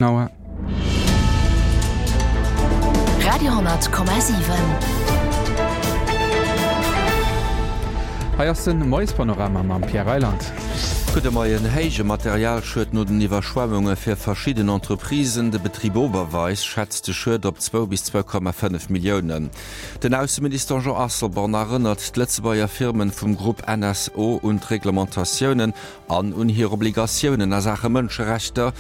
Auer. Radio,7. Hei ass den Moiespanorama mam Pierre Reyland. Gudde Moien. Héije Materialschued no den Iwwerschwemmunge fir verschidden Entreprisen. De Betrib Oberweis schätzt de Schued op zwou bis 2,5 Milliounen. Den Ausseminister Jean Asselborn erënnert d'Lëtzebuerger Firmen vum Grupp NSO un d'Reglementatiounen An un hir Obligatiounen a Saache Mënscherechter.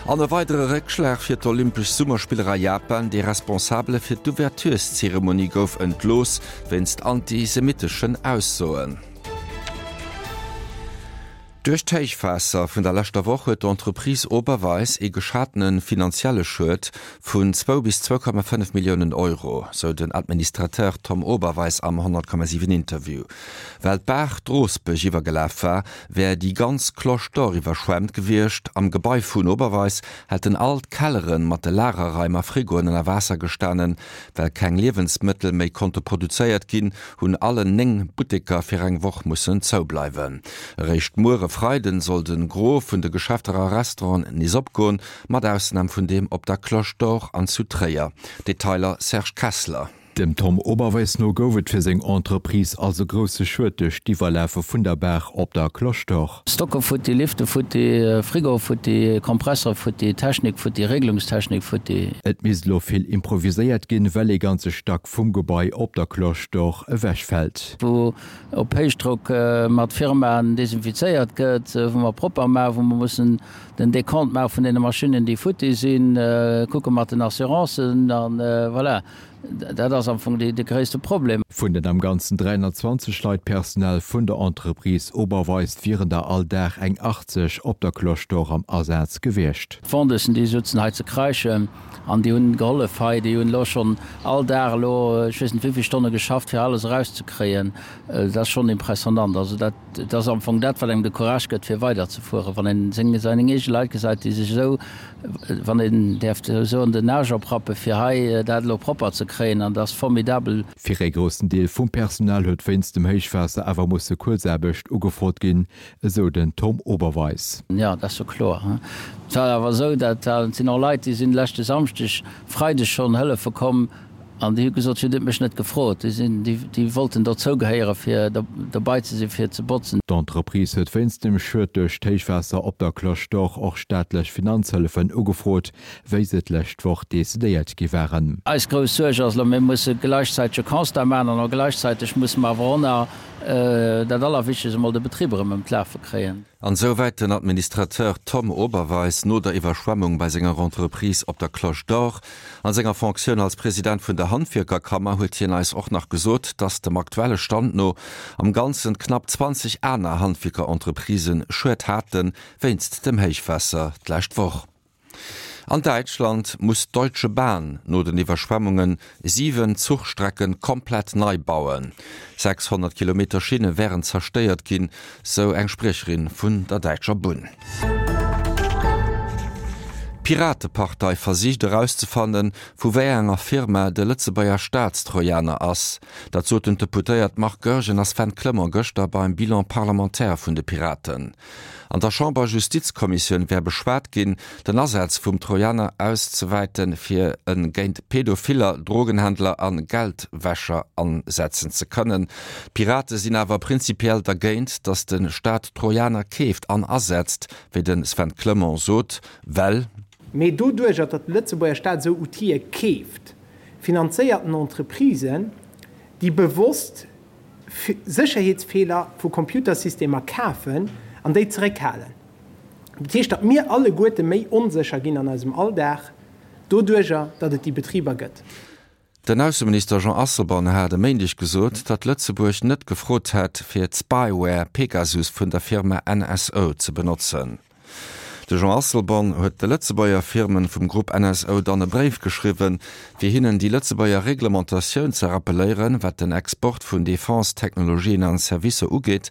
An e weidere Réckschlag fir d'Olympesch Summerspiller a Japan, Dee Responsabele fir d'Ouvertureszeremonie gouf entlooss wéinst antisemitteschen Aussoen. Duerch d'Héichwaasser vun der leschter Woch huet d'Entreprise Oberweis ee geschatene finanzielle Schued vun zwou bis 2,5 Milliounen Euro, sou den Administrateur Tom Oberweis am 100,7 Interview. Well d'Baach d'Roosbech iwwergelaf war, wär déi ganz Cloche d'Or iwwerschwemmt gewiescht. Am Gebai vun Oberweis hätten all d'Kellere mat de Lagerraim a Frigoen ënner Waasser gestanen. Well keng Liewensmëttel méi konnte produzéiert ginn, hunn allen 9 Butteker fir eng Woch mussen zoubleiwen. Eréischt muer e Freiden soll de Gros vun de Geschäfter a Restauranten nees opgoen, mat Ausnam vun deem op der Cloche d'Or an zu Tréier. Detailer Serge Kessler. Dem Tom Oberweis no gouf et fir seng Entreprise also grousse Schued duerch d'Iwwerlafe vun der Baach op der Cloche d'Or. Stocke futti, Lifte futti, Frigo futti, Kompressor futti, Technik futti, Regelungstechnik futti. Et misst elo vill improviséiert ginn, well ee ganze Stack vum Gebai op der Cloche d'Or ewechfält. Wou op Héichdrock mat Firmaen desinfizéiert gëtt, wou mer propper maachen, wou mer mussen den Decompte maache vun deene Maschinnen, déi futti sinn, kucke mat den Assurancen a voilà. Dat ass am Fong de gréisste Problem. Vun den am Ganzen 320 Leit Personnel vun der Entreprise Oberweis wieren der all Dag eng 80 op der Cloche d'Or am Asaz gewiescht. D'Vendeusen déi sutzen hei ze kreischen an déi hunn gehollef hei. Déi hunn elo schonn all Dag elo ech weess net wéivill Stonne geschafft fir alles erauszekréien. Dat ass schonn impressionnant. Also dat ass am Fong dat wat engem de Courage gëtt fir weiderzefueren, wann een seng seng eege Leit gesäit déi sech esou wann een däerf esou soen, den Aarsch oprappe fir hei dat elo propper ze kréien, an dat ass formidabel. Fir ee groussen Deel vum Personal huet wéinst dem Héichwaasser awer musse Kuerzaarbecht ugefrot ginn, esou den Tom Oberweis. Jo, dat ass jo kloer. Et war awer esou, dat sinn och Leit, déi sinn leschte Samschdeg, Freideg schonn hëllefe komm, An déi hu gesot, Dir hutt mech net gefrot. Déi sinn, déi, déi wollten dozou gehéieren, fir dobei ze sinn, fir ze botzen. D'Entreprise huet wéinst dem Schued duerch d'Héichwaasser op der Cloche d'Or och staatlech Finanzhëllefen ugefrot, wéi se d'lescht Woch decidéiert gi waren. Eis grouss Suerg ass elo, mir musse gläichzäiteg e Constat maachen an och gläichzäiteg musse mer awer och nach dat Allerwichtegst emol, de Betrib erëm ëm d'Lafe kréien. An esouwäit den Administrateur Tom Oberweis no der Iwwerschwemmung bei senger Entreprise op der Cloche d'Or. An senger Fonctioun als President vun der Handwierkerkammer huet hien eis och nach gesot, dass dem aktuelle Stand no am Ganzen knapp 20 aner Handwierkerentreprisen Schued hate wéinst dem Héichwaasser d'lescht Woch. An Däitschland muss d'Deutsche Bahn no den Iwwerschwemmunge 7 Zuchstrecke komplett nei bauen. 600 Kilometer Schinne wären zerstéiert ginn, sou eng Spriecherin vun der däitscher Bunn. D'Piratepartei versicht erauszefannen, vu wéi enger Firma de Lëtzebuerger Staatstrojaner ass. Dat soten d'Deputéiert Marc Goergen a Sven Clement gëschter beim Bilan parlementaire vun de Piraten. An der Chamber-Justizkommissioun wär beschwat ginn, den Asaz vum Trojaner auszewäiten, fir e géint Pädophiller, Drogenhändler a Geldwäscher ansetzen ze kënnen. D'Pirate sinn awer prinzipiell dergéint, datt de Staat Trojaner keeft an asetzt, wéi de Sven Clement sot, well. Mee doduercher, datt de Lëtzebuerger Staat esou Outile keeft, finanzéiert en Entreprisen, déi bewosst Sécherheetsfeeler vu Computersystemer kafen an déi zeréckhalen. Dat heescht, datt mir alleguerte méi onsécher ginn an eisem Alldag doduerjer, datt et déi Betriber gëtt. Den Ausseminister Jean Asselborn hat e Méindeg gesot, datt Lëtzebuerg net gefrot hätt, fir d'Spyware Pegasus vun der Firma NSO ze benotzen. De Jean Asselborn huet de Lëtzebuerger Firmen vum Grupp NSO dann e Bréif geschriwwen, fir hinnen déi Lëtzebuerger Reglementatioun ze rappeléieren, wat den Export vun Defense-Technologien an Servicer ugeet,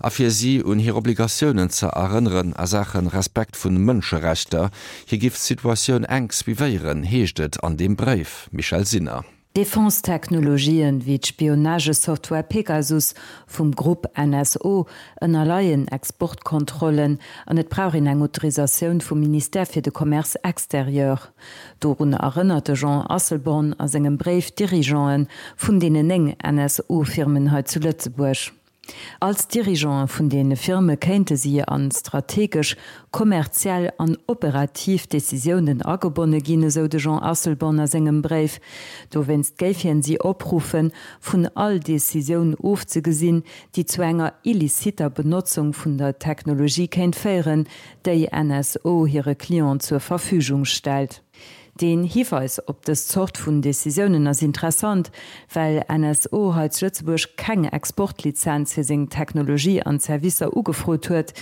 a fir si un hir Obligatiounen ze erënneren a Saache Respekt vun Mënscherechter. Hie giff d'Situatioun enk suivéieren, heescht et an deem Bréif. Michèle Sinner. Defense-Technologien, wéi d'Spionagesoftware Pegasus vum Grupp NSO, ënnerleien Exportkontrollen an et brauch een eng Autorisatioun vum Ministère fir de Commerce extérieur. Dorun erënnert de Jean Asselborn a sengem Bréif d'Dirigeanten vun deenen 9 NSO-Firmen hei zu Lëtzebuerg. Als Dirigeanten vun deene Firme kéinte si an strategesch, kommerziell an operativ Decisiounen agebonne ginn, esou de Jean Asselborn a sengem Bréif. Dowéinst géif hien si opruffen, vun all Decisioun ofzegesinn, déi zu enger illiciter Benotzung vun der Technologie kéint féieren, déi NSO hire Clienten zur Verfügung stellt. Deen Hiweis op dës Zort vun Decisiounen ass interessant, well NSO hei zu Lëtzebuerg keng Exportlizenz fir seng Technologie an Servicer ugefrot huet,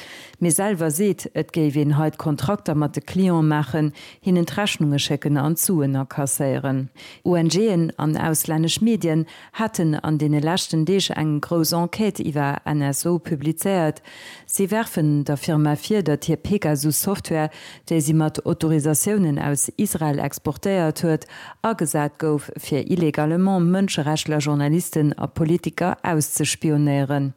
mee selwer seet, et géif een hei d'Kontrakter mat de Cliente maachen, hinnen d'Rechnunge schécken an d'Suen akasséieren. ONGen an auslännesch Medien haten an deene leschten Deeg eng grouss Enquête iwwer NSO publizéiert. Si werfen der Firma vir, datt hir Pegasus-Software, déi si mat Autorisatiounen aus Israel exportéiert huet, agesat gouf, fir illegalement Mënscherechtler, Journalisten a Politiker auszespionéieren.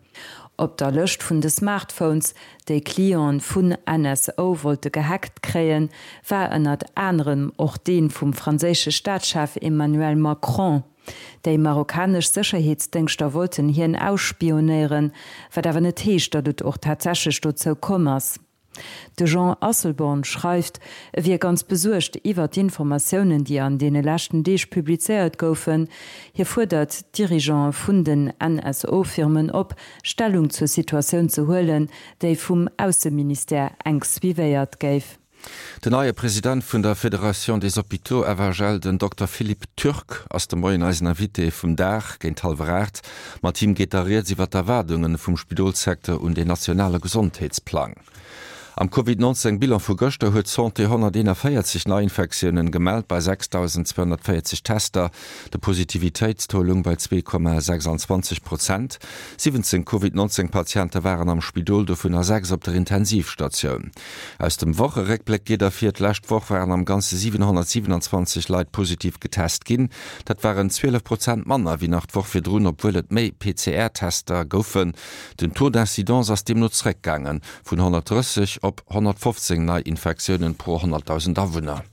Op der Lëscht vun de Smartphones, déi Clienten vun NSO wollte gehackt kréien, war ënnert anerem och dee vum franséische Staatschef Emmanuel Macron. Déi marokkanesch Sécherheetsdéngschter wollten hien ausspionéieren, wat awer net heescht, datt et och tatsächlech dozou komm ass. De Jean Asselborn schreift, e wier ganz besuergt iwwer d'Informatiounen, déi an deene leschten Deeg publizéiert goufen. Hie fuerdert d'Dirigeante vun den NSO-Firmen op, Stellung zur Situatioun ze huelen, déi vum Ausseministère enk suivéiert géif. Den neie President vun der Fédération des Hôpitaux FHL, den Dokter Philippe Turk, ass de Moien eisen Invité vum Dag géint hallwer 8. Mat him geet da rieds iwwer d'Erwaardunge vum Spidolssecteur un den nationale Gesondheetsplang. Am Covid 19 Bilan vu gëschter huet d'Santé 141 Neiinfektiounen gemellt bei 6.240 Tester. De Positivitéitstaux loung bei 2,26 Prozent. 17 Covid 19 Patiente waren am Spidol, dovunner 6 op der Intensivstatioun. Aus dem Wocheréckbléck geet ervir, d'lescht Woch waren am Ganze 727 Leit positiv getest ginn. Dat waren 12 Prozent manner wéi nach d'Woch virdrun, obwuel et méi PCR-Tester goufen. Den Taux d'incidence ass deemno zeréckgaange vun 130 op 115 Neiinfektiounen pro 100.000 Awunner.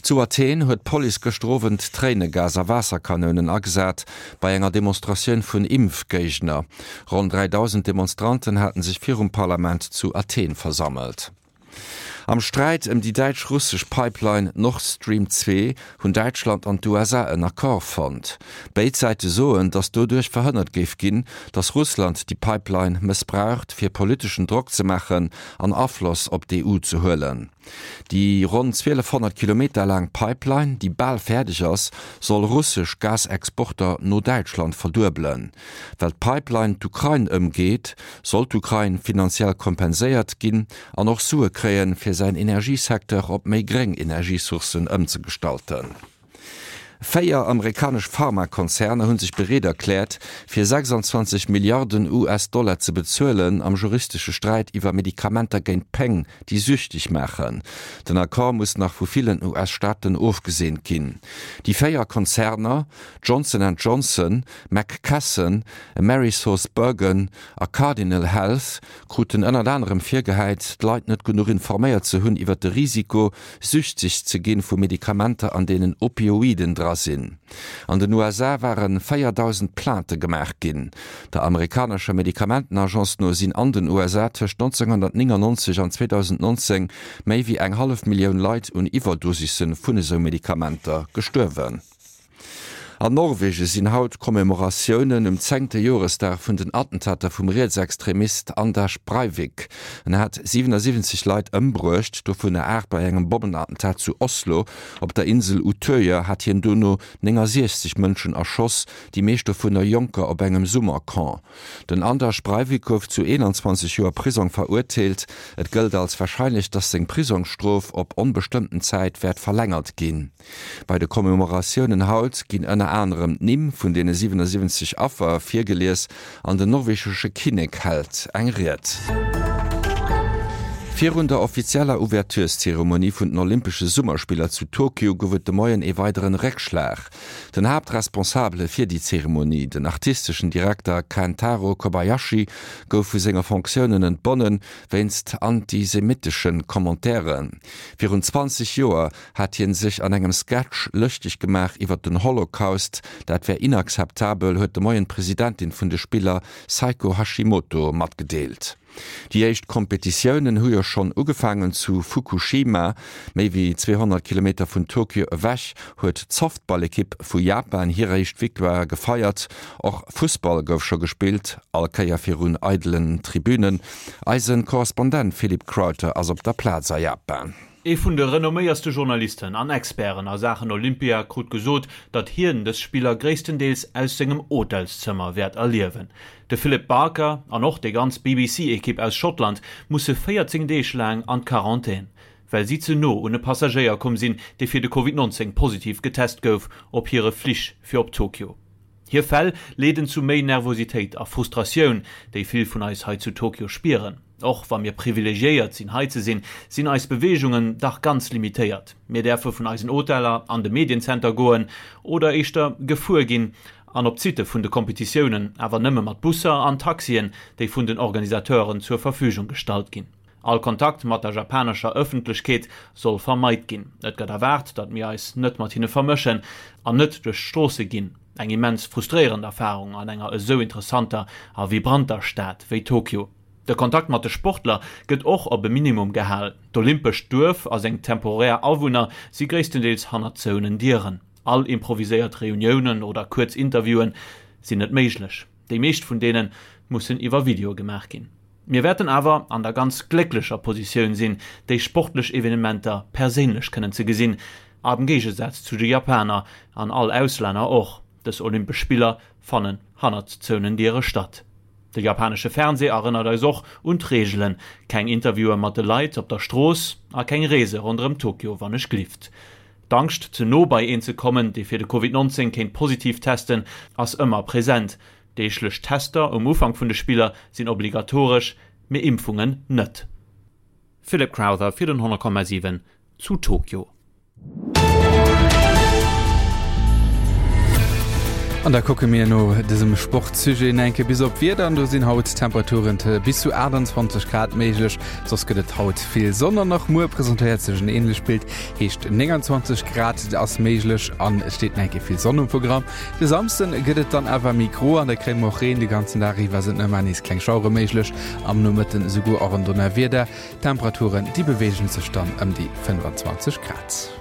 Zu Athen huet d'Police gëschter Owend Tréinegas a Waasserkanounen agesat bei enger Demonstratioun vun Impfgéigner. Ronn 3.000 Demonstranten haten sech virum Parlament zu Athen versammelt. Am Sträit ëm déi däitsch-russesch Pipeline Nord Stream 2 hunn Däitschland an d'USA en Accord fonnt. Béid Säite soen, datt doduerch verhënnert géif ginn, datt Russland déi Pipeline mëssbraucht, fir politeschen Drock ze maachen an Afloss op d'EU ze huelen. Déi ronn 1.200 Kilometer laang Pipeline, déi bal fäerdeg ass, soll russesch Gasexporter no Däitschland verduebelen. Well d'Pipeline d'Ukrain ëmgeet, soll d'Ukrain finanziell kompenséiert ginn an och Sue kréien, fir säin Energiesecteur op méi gréng Energiesourcen ëmzegestalten. Véier amerikanesch Pharmakonzerner hu sech bereet erkläert, fir 26 Milliarden US-Dollar ze bezuelen am juristesche Sträit iwwer Medikamenter géint Péng, déi süchteg maachen. Den Accord muss nach vu villen US-Staaten ofgeseent ginn. Déi véier Konzerner, Johnson and Johnson, McKesson, AmerisourceBergen a Cardinal Health, kruten ënnert anerem virgehäit, d'Leit net genuch informéiert ze hunn iwwer de Risiko, süchteg ze ginn vu Medikamenter an deenen Opioiden dra sinn. An den USA ware 4.000 Plainte gemaach ginn. Der amerikanescher Medikamentenagence no sinn an den USA tëscht 1999 an 2019 méi wéi eng hallef Millioun Leit un Iwwerdosisse vun esou Medikamenter gestuerwen. An Norwegen sinn haut Commemoratiounen um zéngte Joresdag vun den Attentater vum Rietsextremist Anders Breivik. En hat 77 Leit ëmbruecht, dovunner 8 bei engem Bommenattentat zu Oslo. Op der Insel Utøya hat hien dono 69 Mënschen erschoss, déi meescht dovunner Jonker op engem Summercamp. Den Anders Breivik gouf zu 21 Joer Prisong verurteelt. Et gëllt als warscheinlech, datt seng Prisongsstrof op onbestëmmten Zäit wäert verlängert ginn. Bei de Commemoratiounen haut ginn ënner anerem d'Nimm vun deene 77 Affer virgelies an den norwegesche Kinnek hält eng Ried. Virun der offizieller Ouvertureszeremonie vun den Olympesche Summerspiller zu Tokio gouf et de Moien ee weideren Réckschlag. Den Haaptresponsabele fir déi Zeremonie, den artisteschen Direkter Kentaro Kobayashi, gouf vu senge Fonctiounen entbonnen, wéinst antisemitesche Commentairen. Virun 20 Joer hat hien sech an engem Sketch lëschteg gemaach iwwer den Holocaust. Dat wär inakzeptabel, huet de Moien d'Presidentin vun de Spiller Seiko Hashimoto matgedeelt. Déi éischt Kompetitiounen hu jo schonn ugefaangen. Zu Fukushima, méi wéi 200 Kilometer vun Tokio ewech, huet d'Softballekipp vu Japan hir éischt Victoire gefeiert. Och Fussball gouf scho gespillt, all Kéier virun eidelen Tribünen. Eise Korrespondent Philippe Crowther ass op der Plaz a Japan. Ee vun de renomméierste Journalisten an Experten a Saachen Olympia krut gesot, datt hien dës Spiller gréisstendeels aus sengem Hotelszëmmer wäert erliewen. De Philip Barker an och déi ganz BBC-Ekipp aus Schottland musse 14 Deeg laang an d'Quarantän, well si ze no un e Passagéier komm sinn, dee fir de Covid 19 positiv getest gouf op hire Flich fir op Tokio. Hir Fäll leeden zu méi Nervositéit a Frustratioun, déi vill vun eis hei zu Tokio spieren. Och wa mir privilegiéiert sinn hei ze sinn, sinn eis Beweegungen dach ganz limitéiert. Mir däerfe vun eisen Hoteller an de Mediencenter goen, oder éischter gefuer ginn, an op d'Sitte vun de Kompetitiounen, awer nëmme mat Busser an Taxien, déi vun den Organisateuren zur Verfügung gestallt ginn. All Kontakt mat der japanescher Ëffentlechkeet soll vermeit ginn. Et gëtt erwaart, datt mir eis net mat hinne vermëschen an net duerch d'Stroosse ginn. Eng immens frustréierend Erfarung an enger esou interessanter a vibranter Stad wéi Tokio. De Kontakt mat de Sportler gëtt och op e Minimum gehal. D'Olympescht Duerf a seng temporär Awunner si gréisstendeels hannert zouenen Dieren. All improviséiert Reuniounen oder kuerz Interviewen sinn net méiglech. Déi meescht vun deene mussen iwwer Video gemaach ginn. Mir wäerten awer an der ganz glécklecher Positioun sinn, déi sportlech Evenementer perséinlech kënnen ze gesinn, am Géigesaz zu de Japaner an all Auslänner och. Dës Olympesch Spiller fannen hannert zouenen Diere statt. De japanesche Fernsee erënnert eis och un d'Reegelen, keng Interviewe mat de Leit op der Strooss a keng Reese ronderëm Tokio wann ech glift. D'Angscht, ze no bei een ze kommen, dee fir de Covid 19 kéint positiv testen, ass ëmmer present. Deeglech Tester um Ufank vun de Spiller sinn obligatoresch, mee Impfungen net. Philip Crowther fir den 100,7 zu Tokio. An da kucke mir no dësem Sportsujet nach eng Kéier bis op d'Wieder an. Do sinn haut Temperaturen bis zu 28 Grad méiglech. Soss gëtt et haut vill Sonn an och muer presentéiert sech en änlecht Bild, heescht 29 Grad ass méiglech an et steet nach eng Kéier vill Sonn um Programm. De Samsden gëtt et dann awer méi gro an da kréie mer och Reen. De ganzen Dag iwwer sinn ëmmer nees kleng Schauere méiglech, am Nomëtten esouguer och en Donnerwieder. D'Temperaturen, déi beweegen sech dann ëm déi 25 Grad.